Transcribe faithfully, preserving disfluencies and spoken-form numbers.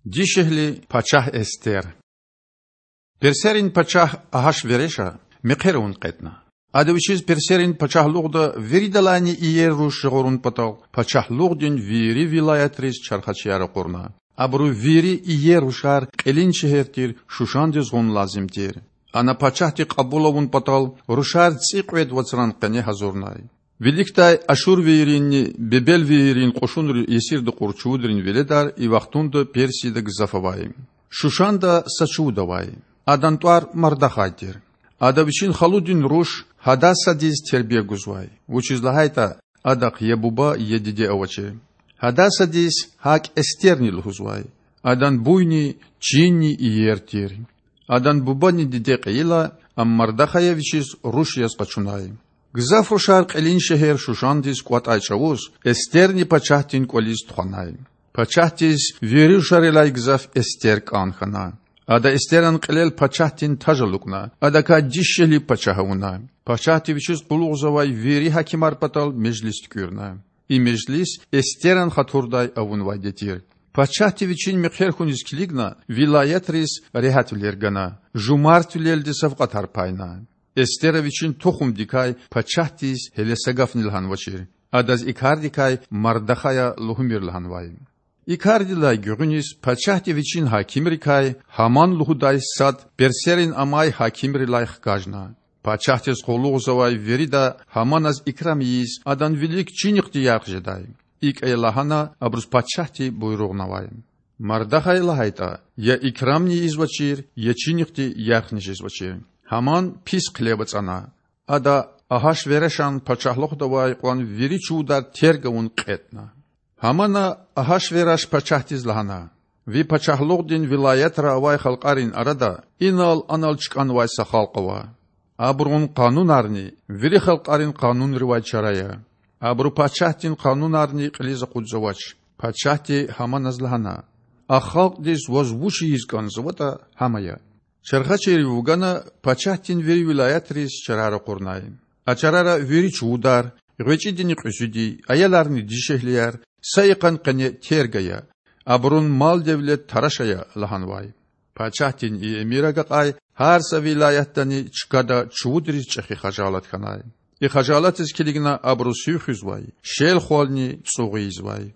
Дишегьли пачагь Эстер. Персерин пачагь Агьашвереша мехъер авун кьетІна. Ада вичиз Персерин пачагьлугъда виридалайни иер руш жагъурун патал пачагьлугъдин вири вилаятриз чархачияр акъурна. Абуру вири иер рушар кьилин шегьер тир Шушандиз гъун лазим тир. Ана пачагьди кьабул авун патал рушар цІикьвед вацран къене гьазурнай. Виликдай ашурвийринни бебелвийрин кьушунри есирда кьур чувудрин веледар и вахтунда Персияда гзаф авай. Шушанда са чувуд авай. Адан тІвар Мардахай тир. Ада вичин халудин руш Гьадасадиз тербия гузвай, вучиз лагьайтІа адахъ я буба, я диде авачир. Гьадасадиз гьакІ Эстерни лугьузвай. Адан буйни, чинни иер тир. Адан бубани диде кьейила, ам Мардахая вичиз руш яз къачунай. Гзаф рушар кьилин шегьер Шушандиз кІватІай чІавуз Эстерни пачагьдин кІвализ тухванай. Пачагьдиз вири рушарилай гзаф Эстер кІан хьана. Ада Эстеран кьилел пачагьдин таж алукІна, адакай дишегьли пачагь авуна. Пачагьди вичиз къуллугъзавай вири гьакимар патал межлис туькІуьрна. И межлис Эстеран хатурдай авунвайди тир. Пачагьди вичин мехъер хьуниз килигна вилаятриз регьятвилер гана, жумартвилелди савкьватар пайна. Эстера вичин тухумдикай пачагьдиз гьеле са гафни лагьанвачир. Адаз и кардикай Мардахая лугьумир лагьанвай. И кардилай гуьгъуьниз пачагьди вичин гьакимрикай Гьаман лугьудай сад персерин амай гьакимрилай хкажна. Пачагьдиз къуллугъзавай вирида Гьаманаз икрам ийиз, адан вилик чинихъди ярх жедай. ИкІ ая лагьана абуруз пачагьди буйругънавай. Мардахая лагьайтІа, я икрамни ийизвачир, я чинихъди ярхни жезвачир. Гьаман пис хъилев ацІана. Ада Агьашверашан пачагьлугъда авай кьван вири чувудар терг авун кьетІна. Гьамана Агьашвераш пачагьдиз лагьана: Ви пачагьлугъдин вилаятра авай халкьарин арада инал-анал чкІанвай са халкь ава. Абурун къанунарни вири халкьарин къанунривай чара я. Абуру пачагьдин къанунарни кьилиз акъудзавач. Пачагьди Гьаманаз лагьана: А халкьдиз ваз вуч ийиз кІанзаватІа, гьам ая. Чархачийрив вугана пачагьдин вири вилаятриз чарар акъурнай. А чарара вири чувудар, гъвечІидини кьуьзуьди, аяларни дишегьлияр са йикъан къене терг ая, абурун мал-девлет тараш ая лагьанвай. Пачагьдин и эмир агакьай гьар са вилаятдани чкада чувудриз чІехи хажалат хьанай. И хажалатдиз килигна абуру сив хуьзвай, шел-хвални цІугъ ийизвай.